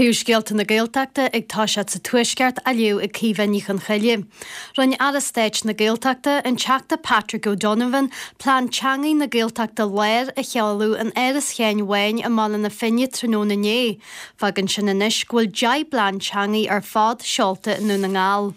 Príomhscéalta na Gaeltachta ag toiseacht sa Tuaisceart á léamh ag Caoimhe Ní Chonchoille. Rinne Aire Stáit na Gaeltachta, an Teachta Patrick O'Donovan, Plean Teangaidh na Gaeltachta Láir a sheoladh in Áras Sheáin Bháin i mBaile na Finne tráthnóna inné. Fágann sin anois go bhfuil 10 bplean teangaidh ar fad seolta i nDún na nGall.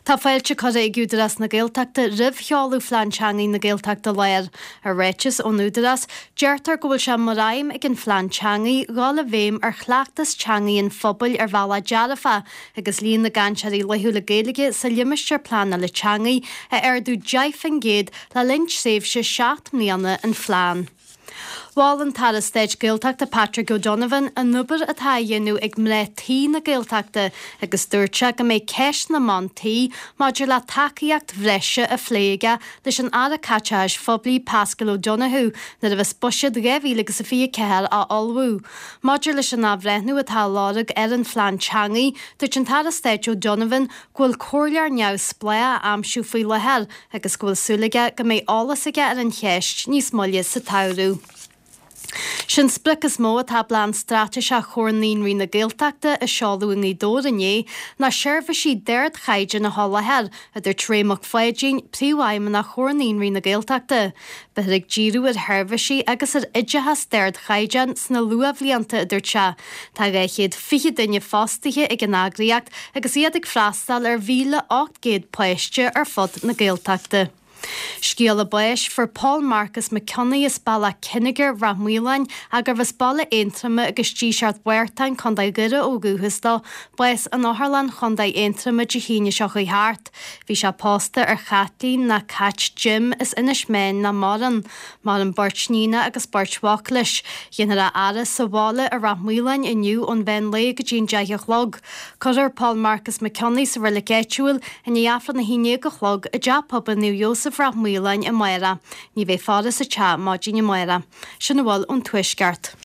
Tá fáilte curtha ag Údarás na Gaeltachta roimh sheoladh Phlean Teangaidh na Gaeltachta Láir. I ráiteas ón Údarás, deirtear go bhfuil sé mar aidhm ag an phlean teangaidh dhul i bhfeidhm ar chleachtas teangaidh an phobail ar bhealach dearfach agus líon na gcainteoirí laethúla Gaeilge sa limistéar pleanála teangaidh a ardú 10% le linn tréimhse 7 mbliana an phlean. Mhol an tAire Stáit Gaeltachta Patrick O'Donovan an obair atá á dhéanamh ag mná tí na Gaeltachta agus dúirt sé go mbeidh ceist na mban tí maidir le tacaíocht bhreise á phlé aige leis an Aire Caiteachais Phoiblí Paschal Donohoe nuair a bheas Buiséad 2024 á ullmhú. Maidir leis an athbhreithniú atá á lorg ar an phlean teangaidh, dúirt an tAire Stáit O'Donovan go bhfuil comhairleoir neamhspleách á aimsiú faoi láthair agus go bhfuil súil aige go mbeidh eolas aige ar an cheist níos moille sa tsamhradh. Sé'n sprioc is mó atá i bPlean Straitéiseach Chomhar Naíonraí na Gaeltachta a seoladh i nGaoth Dobhair inné ná seirbhísí d'ardchaighdeán a sholáthar, a dúirt Ray Mac Pháidín, Príomhfheidhmeannach Chomhar Naíonraí na Gaeltachta. Beifear ag díriú ar sheirbhísí agus ar oideachas d'ardchaighdeán sna luathbhlianta, a dúirt sé. Tá 220 duine fostaithe ag an eagraíocht agus iad ag freastal ar 1,800 páiste ar fud na Gaeltachta. Scéala báis, Fuair Paul Marcus Mac Cionnaith as Bealach Cinnigir, Rath Maoláin, ach gurbh as Baile Aontroma agus Díseart Mhártain, Co. Dhoire ó dhúchas dó, bás in Otharlann Chontae Aontroma Dé hAoine seo chuaigh thart. Bhí sé pósta ar Chaitlín ná Cait Jim as Inis Meáin nach maireann. Maireann beirt níonacha agus beirt mhac leis. Déanfar a fhaire sa bhaile i Rath Maoláin inniu ón mheán lae go dtí an 10 a chlog. Cuirfear Paul Marcus Mac Cionnaith sa reilig áitiúil i ndiaidh Aifreann 11 a chlog i dTeach Pobail Naomh Iósaf Rath Maoláin amárach. Ní bheidh faire sa teach maidin amárach. Sin a bhfuil ón Tuaisceart.